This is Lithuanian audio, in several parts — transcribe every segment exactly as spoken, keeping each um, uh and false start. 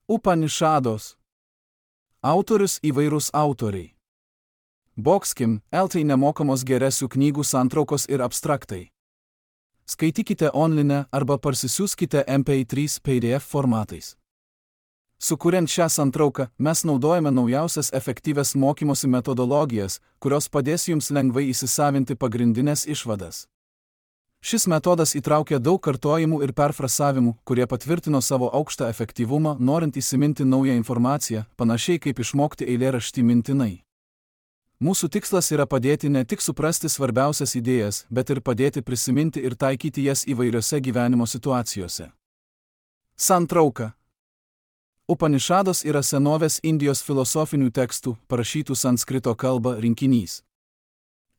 Upanišados. Autorius įvairūs autoriai. Boxkim, L T nemokamos geresių knygų santraukos ir abstraktai. Skaitykite online arba parsisiųskite M P trys P D F formatais. Sukuriant šią santrauką, mes naudojame naujausias efektyvias mokymosi metodologijas, kurios padės jums lengvai įsisavinti pagrindinės išvadas. Šis metodas įtraukia daug kartojimų ir perfrasavimų, kurie patvirtino savo aukštą efektyvumą, norint įsiminti naują informaciją, panašiai kaip išmokti eilėraštį mintinai. Mūsų tikslas yra padėti ne tik suprasti svarbiausias idėjas, bet ir padėti prisiminti ir taikyti jas įvairiose gyvenimo situacijose. Santrauka. Upanišados yra senovės Indijos filosofinių tekstų, parašytų sanskrito kalba, rinkinys.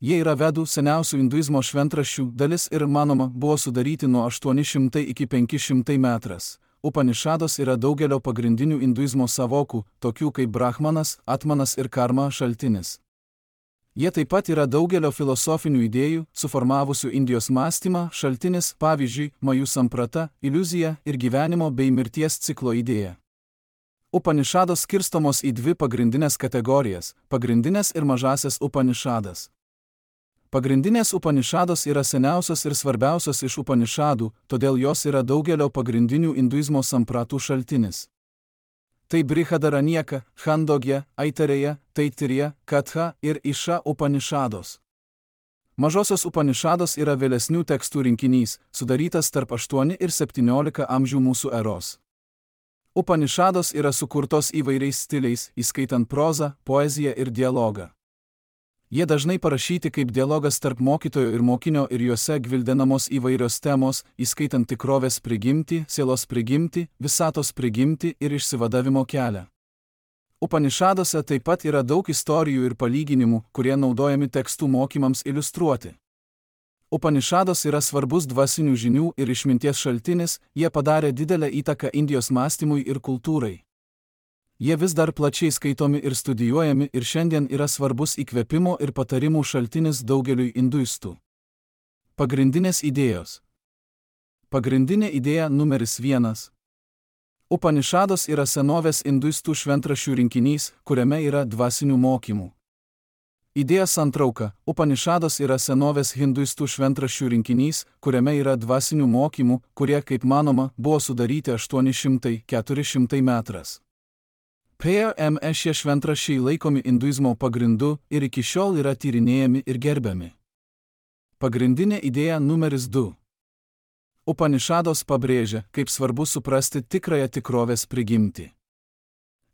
Jie yra vedų seniausių hinduizmo šventraščių dalis ir, manoma, buvo sudaryti nuo aštuoni šimtai iki penki šimtai metras. Upanišados yra daugelio pagrindinių hinduizmo savokų, tokių kaip Brahmanas, Atmanas ir Karma šaltinis. Jie taip pat yra daugelio filosofinių idėjų, suformavusių Indijos mąstymą, šaltinis, pavyzdžiui, Majų samprata, iliuzija ir gyvenimo bei mirties ciklo idėja. Upanišados skirstomos į dvi pagrindinės kategorijas – pagrindinės ir mažasias Upanišadas. Pagrindinės Upanišados yra seniausios ir svarbiausios iš Upanišadų, todėl jos yra daugelio pagrindinių hinduizmo sampratų šaltinis. Tai Brihadaranyaka, Chandogya, Aitareja, Taitirija, Katha ir Iša Upanišados. Mažosios Upanišados yra vėlesnių tekstų rinkinys, sudarytas tarp aštuoni ir septyniolika amžių mūsų eros. Upanišados yra sukurtos įvairiais stiliais, įskaitant prozą, poeziją ir dialogą. Jie dažnai parašyti kaip dialogas tarp mokytojo ir mokinio ir juose gvildenamos įvairios temos, įskaitant tikrovės prigimtį, sielos prigimtį, visatos prigimtį ir išsivadavimo kelią. Upanišadose taip pat yra daug istorijų ir palyginimų, kurie naudojami tekstų mokymams iliustruoti. Upanišados yra svarbus dvasinių žinių ir išminties šaltinis, jie padarė didelę įtaką Indijos mąstymui ir kultūrai. Jie vis dar plačiai skaitomi ir studijuojami ir šiandien yra svarbus įkvėpimo ir patarimų šaltinis daugeliui hinduistų. Pagrindinės idėjos. Pagrindinė idėja numeris vienas. Upanišados yra senovės hinduistų šventraščių rinkinys, kuriame yra dvasinių mokymų. Idėja santrauka. Upanišados yra senovės hinduistų šventraščių rinkinys, kuriame yra dvasinių mokymų, kurie, kaip manoma, buvo sudaryti aštuoni šimtai - keturi šimtai metras. P M E šie šventraščiai laikomi hinduizmo pagrindu ir iki šiol yra tyrinėjami ir gerbiami. Pagrindinė idėja numeris du. Upanišados pabrėžia, kaip svarbu suprasti tikrąją tikrovės prigimtį.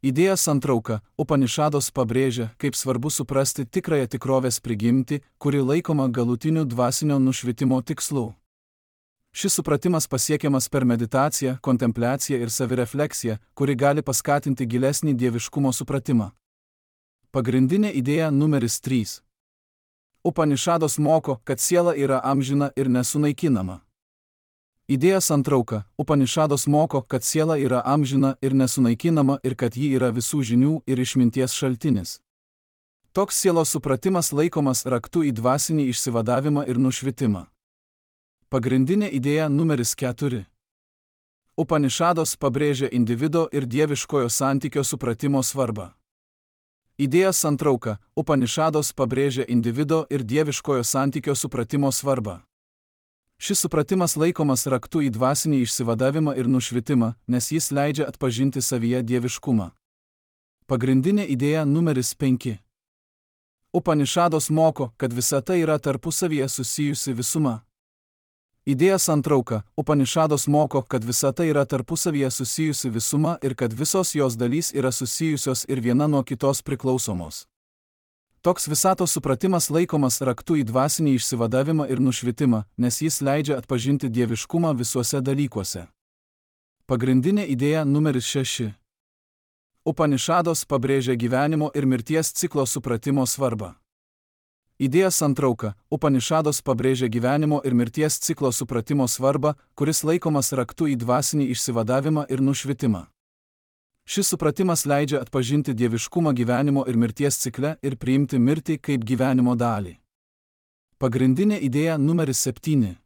Idėja santrauka. Upanišados pabrėžia, kaip svarbu suprasti tikrąją tikrovės prigimtį, kuri laikoma galutiniu dvasinio nušvitimo tikslu. Šis supratimas pasiekiamas per meditaciją, kontempliaciją ir savirefleksiją, kuri gali paskatinti gilesnį dieviškumo supratimą. Pagrindinė idėja numeris trys. Upanišados moko, kad siela yra amžina ir nesunaikinama. Idėja santrauka. Upanišados moko, kad siela yra amžina ir nesunaikinama ir kad ji yra visų žinių ir išminties šaltinis. Toks sielos supratimas laikomas raktu į dvasinį išsivadavimą ir nušvitimą. Pagrindinė idėja numeris keturi. Upanišados pabrėžia individo ir dieviškojo santykio supratimo svarbą. Idėja santrauka. Upanišados pabrėžia individo ir dieviškojo santykio supratimo svarbą. Šis supratimas laikomas raktu į dvasinį išsivadavimą ir nušvitimą, nes jis leidžia atpažinti savyje dieviškumą. Pagrindinė idėja numeris penki. Upanišados moko, kad visata yra tarpusavyje susijusi visuma. Idėja santrauka. Upanišados moko, kad visata yra tarpusavyje susijusi visuma ir kad visos jos dalys yra susijusios ir viena nuo kitos priklausomos. Toks visatos supratimas laikomas raktu į dvasinį išsivadavimą ir nušvitimą, nes jis leidžia atpažinti dieviškumą visuose dalykuose. Pagrindinė idėja numeris šeši. Upanišados pabrėžia gyvenimo ir mirties ciklo supratimo svarbą. Idėja santrauka. Upanišados pabrėžia gyvenimo ir mirties ciklo supratimo svarbą, kuris laikomas raktu į dvasinį išsivadavimą ir nušvitimą. Šis supratimas leidžia atpažinti dieviškumą gyvenimo ir mirties cikle ir priimti mirtį kaip gyvenimo dalį. Pagrindinė idėja numeris septyni.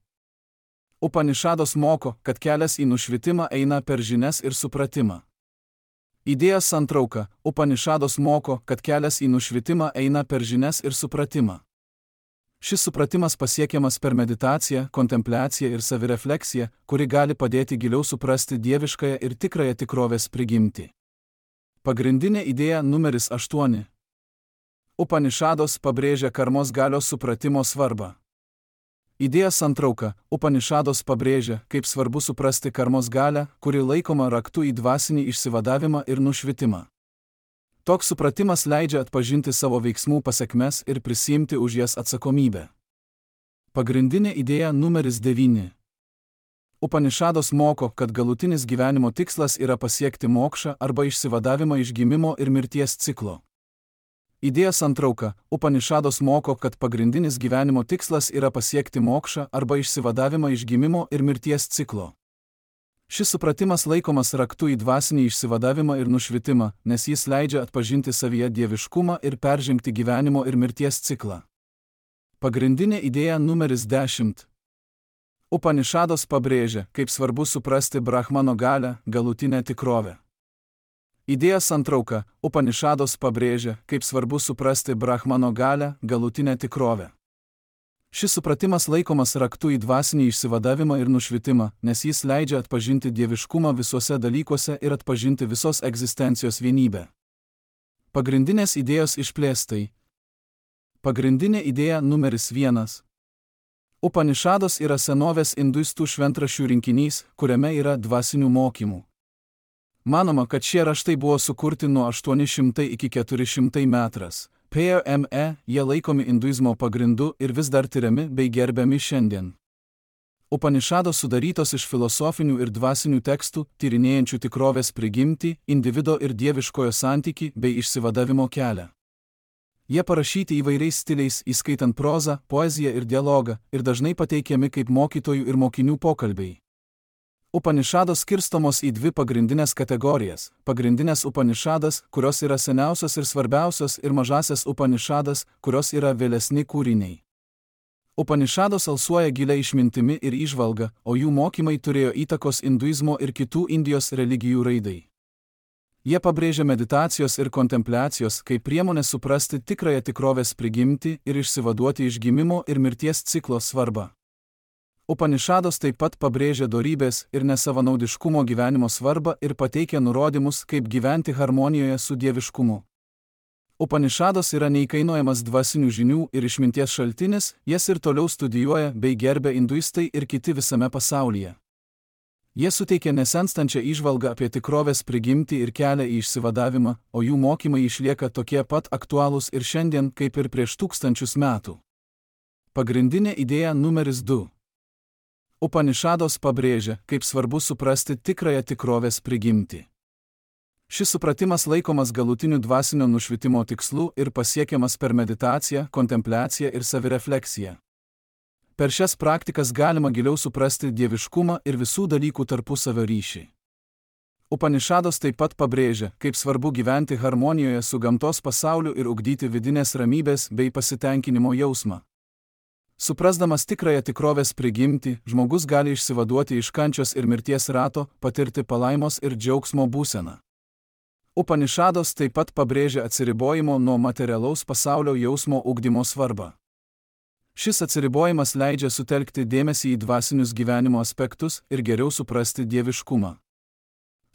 Upanišados moko, kad kelias į nušvitimą eina per žinias ir supratimą. Idėjos santrauka. Upanišados moko, kad kelias į nušvitimą eina per žinias ir supratimą. Šis supratimas pasiekiamas per meditaciją, kontempliaciją ir savirefleksiją, kuri gali padėti giliau suprasti dieviškąją ir tikrąją tikrovės prigimtį. Pagrindinė idėja numeris aštuoni. Upanišados pabrėžia karmos galios supratimo svarbą. Idėjos santrauka. Upanišados pabrėžia, kaip svarbu suprasti karmos galią, kuri laikoma raktu į dvasinį išsivadavimą ir nušvitimą. Toks supratimas leidžia atpažinti savo veiksmų pasekmes ir prisiimti už jas atsakomybę. Pagrindinė idėja numeris devyni. Upanišados moko, kad galutinis gyvenimo tikslas yra pasiekti mokšą arba išsivadavimą iš gimimo ir mirties ciklo. Idėjos santrauka. Upanišados moko, kad pagrindinis gyvenimo tikslas yra pasiekti mokšą arba išsivadavimą iš gimimo ir mirties ciklo. Šis supratimas laikomas raktu į dvasinį išsivadavimą ir nušvitimą, nes jis leidžia atpažinti savyje dieviškumą ir peržengti gyvenimo ir mirties ciklą. Pagrindinė idėja numeris dešimt. Upanišados pabrėžia, kaip svarbu suprasti Brahmano galią, galutinę tikrovę. Idėjos santrauka. Upanišados pabrėžia, kaip svarbu suprasti Brahmano galią, galutinę tikrovę. Šis supratimas laikomas raktu į dvasinį išsivadavimą ir nušvitimą, nes jis leidžia atpažinti dieviškumą visuose dalykuose ir atpažinti visos egzistencijos vienybę. Pagrindinės idėjos išplėstai. Pagrindinė idėja numeris vienas. Upanišados yra senovės induistų šventraščių rinkinys, kuriame yra dvasinių mokymų. Manoma, kad šie raštai buvo sukurti nuo aštuoni šimtai iki keturi šimtai metras. P M E jie laikomi induizmo pagrindu ir vis dar tyriami bei gerbiami šiandien. Upanišados sudarytos iš filosofinių ir dvasinių tekstų, tyrinėjančių tikrovės prigimtį, individo ir dieviškojo santykį bei išsivadavimo kelią. Jie parašyti įvairiais stiliais, įskaitant prozą, poeziją ir dialogą, ir dažnai pateikiami kaip mokytojų ir mokinių pokalbiai. Upanišados skirstomos į dvi pagrindinės kategorijas – pagrindinės Upanišadas, kurios yra seniausios ir svarbiausios, ir mažasias Upanišadas, kurios yra vėlesni kūriniai. Upanišados alsuoja gilia išmintimi ir įžvalga, o jų mokymai turėjo įtakos induizmo ir kitų Indijos religijų raidai. Jie pabrėžia meditacijos ir kontempliacijos kaip priemonę suprasti tikrąją tikrovės prigimtį ir išsivaduoti iš gimimo ir mirties ciklo svarbą. Upanišados taip pat pabrėžia dorybės ir nesavanaudiškumo gyvenimo svarbą ir pateikia nurodymus, kaip gyventi harmonijoje su dieviškumu. Upanišados yra neįkainojamas dvasinių žinių ir išminties šaltinis, jas ir toliau studijuoja bei gerbia induistai ir kiti visame pasaulyje. Jie suteikia nesenstančią įžvalgą apie tikrovės prigimtį ir kelią į išsivadavimą, o jų mokymai išlieka tokie pat aktualūs ir šiandien, kaip ir prieš tūkstančius metų. Pagrindinė idėja numeris du. Upanišados pabrėžia, kaip svarbu suprasti tikrąją tikrovės prigimtį. Šis supratimas laikomas galutiniu dvasinio nušvitimo tikslu ir pasiekiamas per meditaciją, kontempliaciją ir savirefleksiją. Per šias praktikas galima giliau suprasti dieviškumą ir visų dalykų tarpusavio ryšį. Upanišados taip pat pabrėžia, kaip svarbu gyventi harmonijoje su gamtos pasauliu ir ugdyti vidinės ramybės bei pasitenkinimo jausmą. Suprasdamas tikrąją tikrovės prigimtį, žmogus gali išsivaduoti iš kančios ir mirties rato, patirti palaimos ir džiaugsmo būseną. Upanišados taip pat pabrėžia atsiribojimo nuo materialaus pasaulio jausmo ugdymo svarbą. Šis atsiribojimas leidžia sutelkti dėmesį į dvasinius gyvenimo aspektus ir geriau suprasti dieviškumą.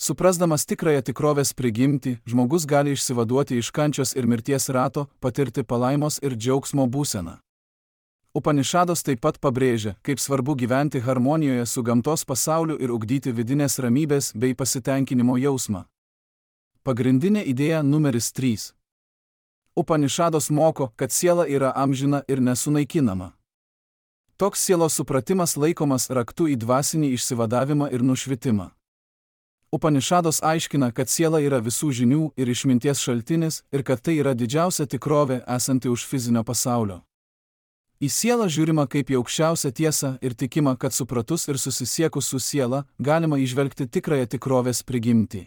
Suprasdamas tikrąją tikrovės prigimtį, žmogus gali išsivaduoti iš kančios ir mirties rato, patirti palaimos ir džiaugsmo būseną. Upanišados taip pat pabrėžia, kaip svarbu gyventi harmonijoje su gamtos pasauliu ir ugdyti vidinės ramybės bei pasitenkinimo jausmą. Pagrindinė idėja numeris trys. Upanišados moko, kad siela yra amžina ir nesunaikinama. Toks sielos supratimas laikomas raktu į dvasinį išsivadavimą ir nušvitimą. Upanišados aiškina, kad siela yra visų žinių ir išminties šaltinis ir kad tai yra didžiausia tikrovė esanti už fizinio pasaulio. Į sielą žiūrima kaip į aukščiausią tiesą ir tikima, kad supratus ir susisiekus su siela, galima įžvelgti tikrąją tikrovės prigimtį.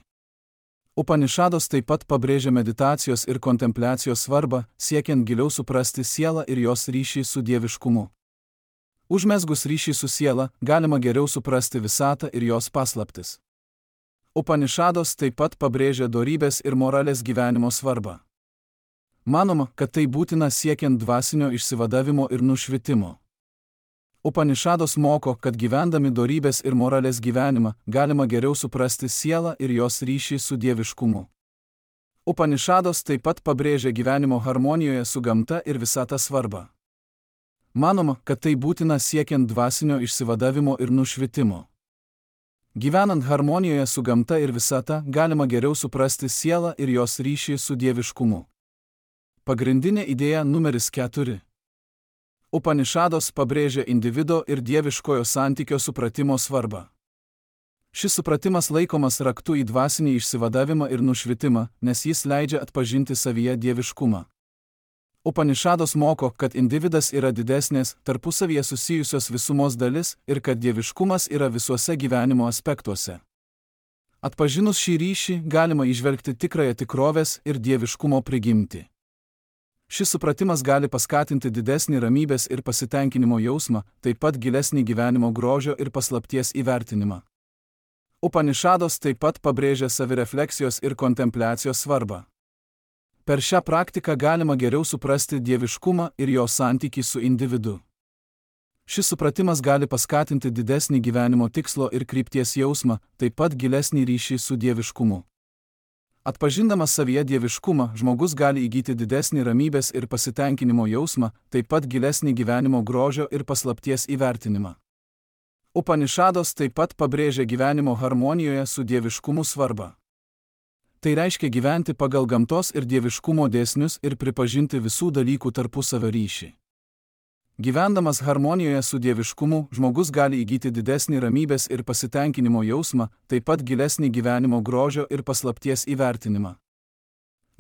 Upanišados taip pat pabrėžia meditacijos ir kontempliacijos svarbą, siekiant giliau suprasti sielą ir jos ryšį su dieviškumu. Užmezgus ryšį su siela, galima geriau suprasti visatą ir jos paslaptis. Upanišados taip pat pabrėžia dorybės ir moralės gyvenimo svarbą. Manoma, kad tai būtina siekiant dvasinio išsivadavimo ir nušvitimo. Upanišados moko, kad gyvendami dorybės ir moralės gyvenimą galima geriau suprasti sielą ir jos ryšį su dieviškumu. Upanišados taip pat pabrėžia gyvenimo harmonijoje su gamta ir visata svarbą. Manoma, kad tai būtina siekiant dvasinio išsivadavimo ir nušvitimo. Gyvenant harmonijoje su gamta ir visata galima geriau suprasti sielą ir jos ryšį su dieviškumu. Pagrindinė idėja numeris keturi. Upanišados pabrėžia individo ir dieviškojo santykio supratimo svarbą. Šis supratimas laikomas raktu į dvasinį išsivadavimą ir nušvitimą, nes jis leidžia atpažinti savyje dieviškumą. Upanišados moko, kad individas yra didesnės, tarpusavyje susijusios visumos dalis ir kad dieviškumas yra visuose gyvenimo aspektuose. Atpažinus šį ryšį galima įžvelgti tikrąją tikrovės ir dieviškumo prigimtį. Šis supratimas gali paskatinti didesnį ramybės ir pasitenkinimo jausmą, taip pat gilesnį gyvenimo grožio ir paslapties įvertinimą. Upanišados taip pat pabrėžia savirefleksijos ir kontempliacijos svarbą. Per šią praktiką galima geriau suprasti dieviškumą ir jo santykį su individu. Šis supratimas gali paskatinti didesnį gyvenimo tikslo ir krypties jausmą, taip pat gilesnį ryšį su dieviškumu. Atpažindamas savyje dieviškumą, žmogus gali įgyti didesnį ramybės ir pasitenkinimo jausmą, taip pat gilesnį gyvenimo grožio ir paslapties įvertinimą. Upanišados taip pat pabrėžia gyvenimo harmonijoje su dieviškumu svarbą. Tai reiškia gyventi pagal gamtos ir dieviškumo dėsnius ir pripažinti visų dalykų tarpusavio ryšį. Gyvendamas harmonijoje su dieviškumu, žmogus gali įgyti didesnį ramybės ir pasitenkinimo jausmą, taip pat gilesnį gyvenimo grožio ir paslapties įvertinimą.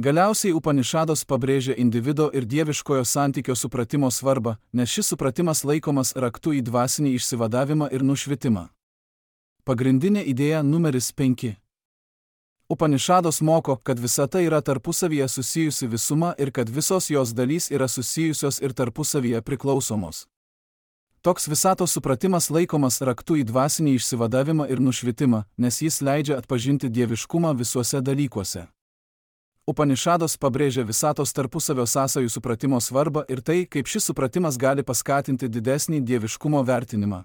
Galiausiai Upanišados pabrėžia individo ir dieviškojo santykio supratimo svarbą, nes šis supratimas laikomas raktu į dvasinį išsivadavimą ir nušvitimą. Pagrindinė idėja numeris penki. Upanišados moko, kad visata yra tarpusavyje susijusi visuma ir kad visos jos dalys yra susijusios ir tarpusavyje priklausomos. Toks visatos supratimas laikomas raktu į dvasinį išsivadavimą ir nušvitimą, nes jis leidžia atpažinti dieviškumą visuose dalykuose. Upanišados pabrėžia visatos tarpusavio sąsajų supratimo svarbą ir tai, kaip šis supratimas gali paskatinti didesnį dieviškumo vertinimą.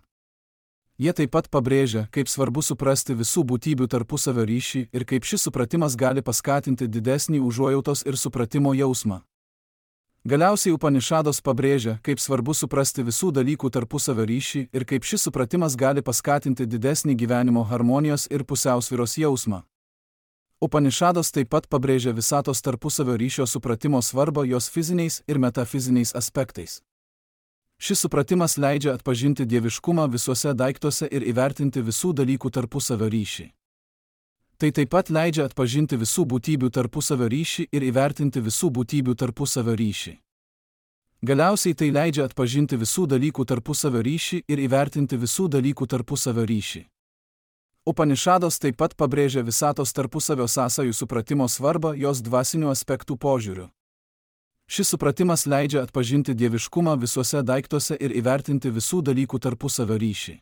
Jie taip pat pabrėžia, kaip svarbu suprasti visų būtybių tarpusavio ryšį ir kaip šis supratimas gali paskatinti didesnį užuojautos ir supratimo jausmą. Galiausiai Upanišados pabrėžia, kaip svarbu suprasti visų dalykų tarpusavio ryšį ir kaip šis supratimas gali paskatinti didesnį gyvenimo harmonijos ir pusiausvyros jausmą. Upanišados taip pat pabrėžia visatos tarpusavio ryšio supratimo svarbą jos fiziniais ir metafiziniais aspektais. Šis supratimas leidžia atpažinti dieviškumą visuose daiktuose ir įvertinti visų dalykų tarpusavio ryšį. Tai taip pat leidžia atpažinti visų būtybių tarpusavio ryšį ir įvertinti visų būtybių tarpusavio ryšį. Galiausiai tai leidžia atpažinti visų dalykų tarpusavio ryšį ir įvertinti visų dalykų tarpusavio ryšį. Upanišados taip pat pabrėžia visatos tarpusavio sąsajų supratimo svarbą jos dvasinių aspektų požiūriu. Šis supratimas leidžia atpažinti dieviškumą visuose daiktuose ir įvertinti visų dalykų tarpusavio ryšį.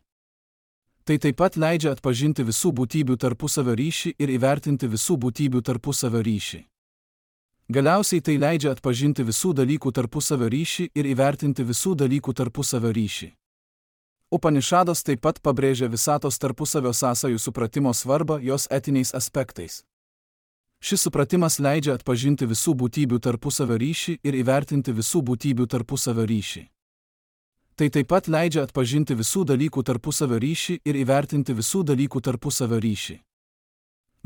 Tai taip pat leidžia atpažinti visų būtybių tarpusavio ryšį ir įvertinti visų būtybių tarpusavio ryšį. Galiausiai tai leidžia atpažinti visų dalykų tarpusavio ryšį ir įvertinti visų dalykų tarpusavio ryšį. Upanišados taip pat pabrėžia visatos tarpusavio sąsajų supratimo svarbą jos etiniais aspektais. Šis supratimas leidžia atpažinti visų būtybių tarpusavio ryšį ir įvertinti visų būtybių tarpusavio ryšį. Tai taip pat leidžia atpažinti visų dalykų tarpusavio ryšį ir įvertinti visų dalykų tarpusavio ryšį.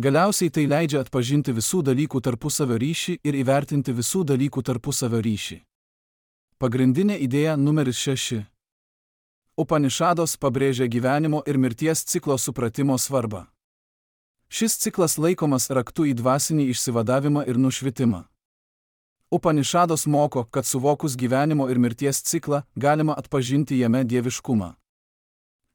Galiausiai tai leidžia atpažinti visų dalykų tarpusavio ryšį ir įvertinti visų dalykų tarpusavio ryšį. Pagrindinė idėja numeris šeši. Upanišados pabrėžia gyvenimo ir mirties ciklo supratimo svarbą. Šis ciklas laikomas raktu į dvasinį išsivadavimą ir nušvitimą. Upanišados moko, kad suvokus gyvenimo ir mirties ciklą, galima atpažinti jame dieviškumą.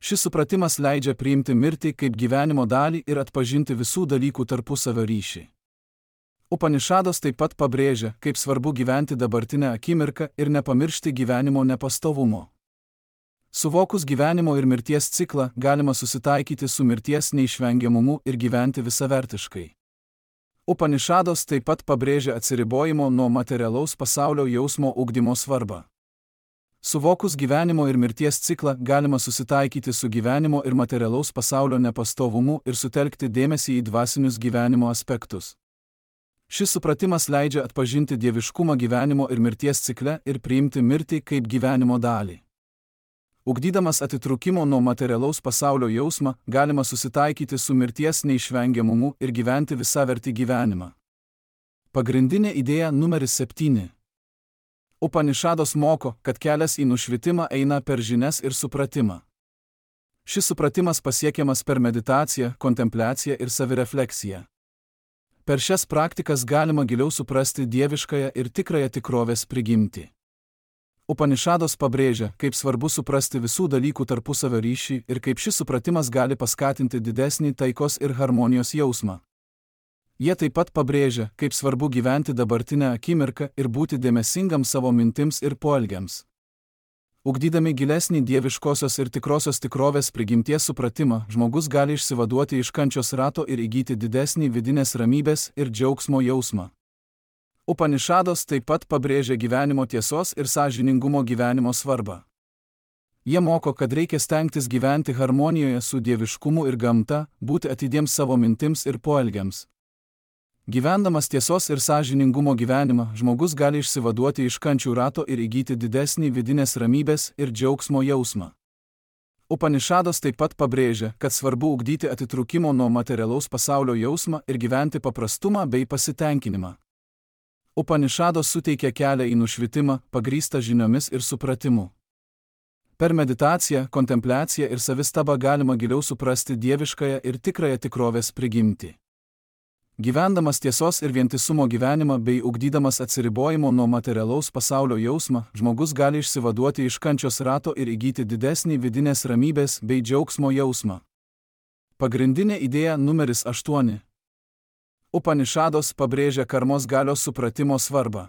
Šis supratimas leidžia priimti mirtį kaip gyvenimo dalį ir atpažinti visų dalykų tarpusavio ryšį. Upanišados taip pat pabrėžia, kaip svarbu gyventi dabartinę akimirką ir nepamiršti gyvenimo nepastovumo. Suvokus gyvenimo ir mirties ciklą, galima susitaikyti su mirties neišvengiamumu ir gyventi visavertiškai. Upanišados taip pat pabrėžia atsiribojimo nuo materialaus pasaulio jausmo ugdymo svarbą. Suvokus gyvenimo ir mirties ciklą, galima susitaikyti su gyvenimo ir materialaus pasaulio nepastovumu ir sutelkti dėmesį į dvasinius gyvenimo aspektus. Šis supratimas leidžia atpažinti dieviškumą gyvenimo ir mirties cikle ir priimti mirtį kaip gyvenimo dalį. Ugdydamas atitrūkimo nuo materialaus pasaulio jausmą, galima susitaikyti su mirties neišvengiamumu ir gyventi visavertį gyvenimą. Pagrindinė idėja numeris septyni. Upanišados moko, kad kelias į nušvitimą eina per žinias ir supratimą. Šis supratimas pasiekiamas per meditaciją, kontempliaciją ir savirefleksiją. Per šias praktikas galima giliau suprasti dieviškąją ir tikrąją tikrovės prigimtį. Upanišados pabrėžia, kaip svarbu suprasti visų dalykų tarpusavio ryšį ir kaip šis supratimas gali paskatinti didesnį taikos ir harmonijos jausmą. Jie taip pat pabrėžia, kaip svarbu gyventi dabartinę akimirką ir būti dėmesingam savo mintims ir poelgiams. Ugdydami gilesnį dieviškosios ir tikrosios tikrovės prigimties supratimą, žmogus gali išsivaduoti iš kančios rato ir įgyti didesnį vidinės ramybės ir džiaugsmo jausmą. Upanišados taip pat pabrėžia gyvenimo tiesos ir sąžiningumo gyvenimo svarbą. Jie moko, kad reikia stengtis gyventi harmonijoje su dieviškumu ir gamta, būti atidiems savo mintims ir poelgiams. Gyvendamas tiesos ir sąžiningumo gyvenimą, žmogus gali išsivaduoti iš kančių rato ir įgyti didesnį vidinės ramybės ir džiaugsmo jausmą. Upanišados taip pat pabrėžia, kad svarbu ugdyti atitrūkimo nuo materialaus pasaulio jausmą ir gyventi paprastumą bei pasitenkinimą. Upanišados suteikia kelią į nušvitimą, pagrįstą žiniomis ir supratimu. Per meditaciją, kontempliaciją ir savistabą galima giliau suprasti dieviškąją ir tikrąją tikrovės prigimtį. Gyvendamas tiesos ir vientisumo gyvenimą bei ugdydamas atsiribojimo nuo materialaus pasaulio jausmą, žmogus gali išsivaduoti iš kančios rato ir įgyti didesnį vidinės ramybės bei džiaugsmo jausmą. Pagrindinė idėja numeris aštuoni. Upanišados pabrėžia karmos galios supratimo svarbą.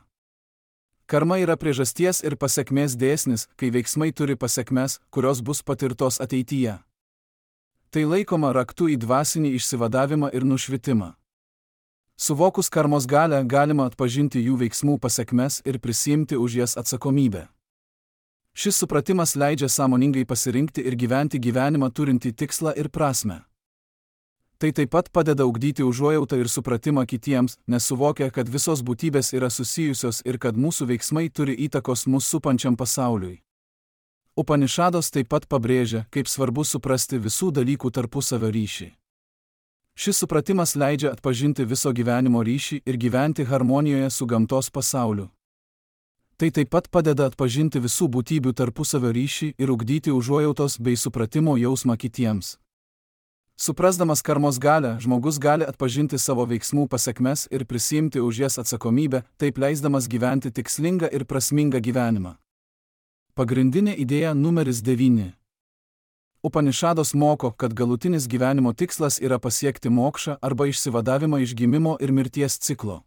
Karma yra priežasties ir pasekmės dėsnis, kai veiksmai turi pasekmes, kurios bus patirtos ateityje. Tai laikoma raktu į dvasinį išsivadavimą ir nušvitimą. Suvokus karmos galią, galima atpažinti jų veiksmų pasekmes ir prisiimti už jas atsakomybę. Šis supratimas leidžia sąmoningai pasirinkti ir gyventi gyvenimą turintį tikslą ir prasmę. Tai taip pat padeda ugdyti užuojautą ir supratimą kitiems, nes suvokia, kad visos būtybės yra susijusios ir kad mūsų veiksmai turi įtakos mus supančiam pasauliui. Upanišados taip pat pabrėžia, kaip svarbu suprasti visų dalykų tarpusavio ryšį. Šis supratimas leidžia atpažinti viso gyvenimo ryšį ir gyventi harmonijoje su gamtos pasauliu. Tai taip pat padeda atpažinti visų būtybių tarpusavio ryšį ir ugdyti užuojautos bei supratimo jausmą kitiems. Suprasdamas karmos galią, žmogus gali atpažinti savo veiksmų pasekmes ir prisiimti už jas atsakomybę, taip leisdamas gyventi tikslingą ir prasmingą gyvenimą. Pagrindinė idėja numeris devyni. Upanišados moko, kad galutinis gyvenimo tikslas yra pasiekti mokšą arba išsivadavimą iš gimimo ir mirties ciklo.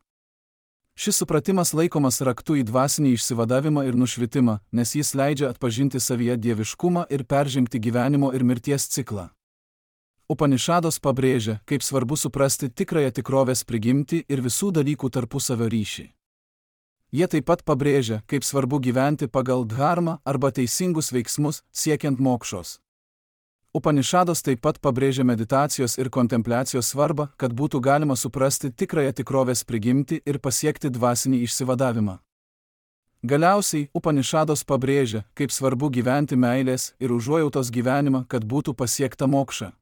Šis supratimas laikomas raktu į dvasinį išsivadavimą ir nušvitimą, nes jis leidžia atpažinti savyje dieviškumą ir peržengti gyvenimo ir mirties ciklą. Upanišados pabrėžia, kaip svarbu suprasti tikrąją tikrovės prigimtį ir visų dalykų tarpusavio ryšį. Jie taip pat pabrėžia, kaip svarbu gyventi pagal dharmą arba teisingus veiksmus, siekiant mokšos. Upanišados taip pat pabrėžia meditacijos ir kontempliacijos svarbą, kad būtų galima suprasti tikrąją tikrovės prigimtį ir pasiekti dvasinį išsivadavimą. Galiausiai, Upanišados pabrėžia, kaip svarbu gyventi meilės ir užuojautos gyvenimą, kad būtų pasiekta mokša.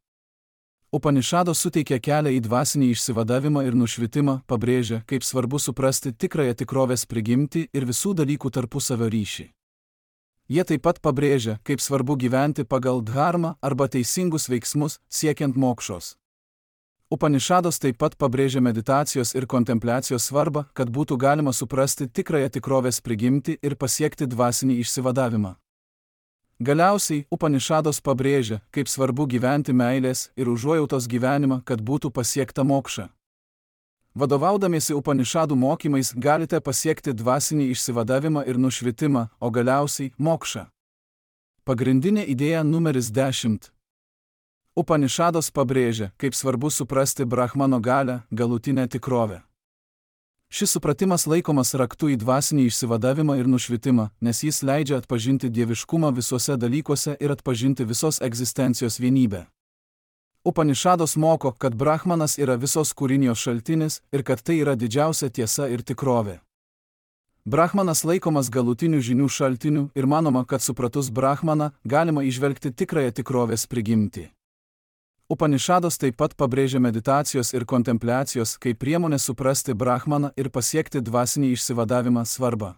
Upanišados suteikia kelią į dvasinį išsivadavimą ir nušvitimą, pabrėžia, kaip svarbu suprasti tikrąją tikrovės prigimtį ir visų dalykų tarpusavio ryšį. Jie taip pat pabrėžia, kaip svarbu gyventi pagal dharmą arba teisingus veiksmus, siekiant mokšos. Upanišados taip pat pabrėžia meditacijos ir kontempliacijos svarbą, kad būtų galima suprasti tikrąją tikrovės prigimtį ir pasiekti dvasinį išsivadavimą. Galiausiai, Upanišados pabrėžia, kaip svarbu gyventi meilės ir užuojautos gyvenimą, kad būtų pasiekta mokša. Vadovaudamiesi Upanišadų mokymais galite pasiekti dvasinį išsivadavimą ir nušvitimą, o galiausiai mokšą. Pagrindinė idėja numeris dešimt. Upanišados pabrėžia, kaip svarbu suprasti Brahmano galią, galutinę tikrovę. Šis supratimas laikomas raktu į dvasinį išsivadavimą ir nušvitimą, nes jis leidžia atpažinti dieviškumą visuose dalykuose ir atpažinti visos egzistencijos vienybę. Upanišados moko, kad Brahmanas yra visos kūrinijos šaltinis ir kad tai yra didžiausia tiesa ir tikrovė. Brahmanas laikomas galutinių žinių šaltiniu ir manoma, kad supratus Brahmaną galima įžvelgti tikrąją tikrovės prigimtį. Upanišados taip pat pabrėžia meditacijos ir kontempliacijos kaip priemonę suprasti Brahmaną ir pasiekti dvasinį išsivadavimą svarbą.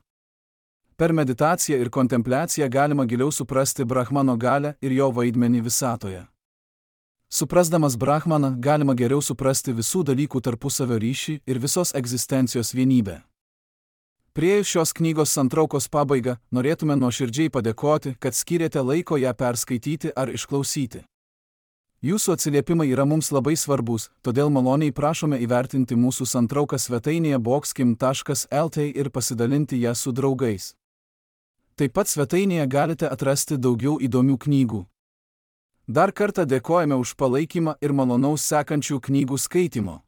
Per meditaciją ir kontempliaciją galima giliau suprasti Brahmano galią ir jo vaidmenį visatoje. Suprasdamas Brahmaną galima geriau suprasti visų dalykų tarpusavio ryšį ir visos egzistencijos vienybę. Priėjus šios knygos santraukos pabaigą, norėtume nuoširdžiai padėkoti, kad skyrėte laiko ją perskaityti ar išklausyti. Jūsų atsiliepimai yra mums labai svarbus, todėl maloniai prašome įvertinti mūsų santrauką svetainėje boxkim taškas lt ir pasidalinti ją su draugais. Taip pat svetainėje galite atrasti daugiau įdomių knygų. Dar kartą dėkojame už palaikymą ir malonaus sekančių knygų skaitimo.